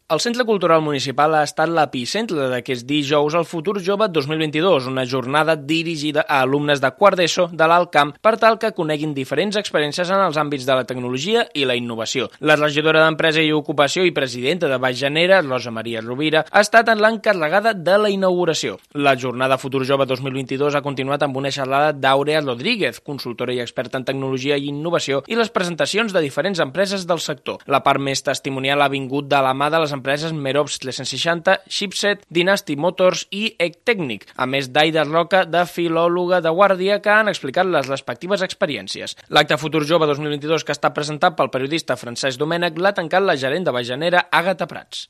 El Centre Cultural Municipal ha estat l'epicentre d'aquest dijous al Futur Jove 2022, una jornada dirigida a alumnes de quart d'ESO de l'Alt Camp per tal que coneguin diferents experiències en els àmbits de la tecnologia i la innovació. La regidora d'Empresa i Ocupació i presidenta de Baix Llanera, Rosa Maria Rovira, ha estat l'encarregada de la inauguració. La jornada Futur Jove 2022 ha continuat amb una xerrada d'Àurea Rodríguez, consultora i experta en tecnologia i innovació, i les presentacions de diferents empreses del sector. La part més testimonial ha vingut de la mà de les empreses Merops 360, Chipset, Dynasty Motors i Ectècnic, a més d'Aida Roca, de filòloga de Guàrdia, que han explicat les respectives experiències. L'acte Futur Jove 2022, que està presentat pel periodista Francesc Domènech, l'ha tancat la gerent de Baix Llanera, Àgata Prats.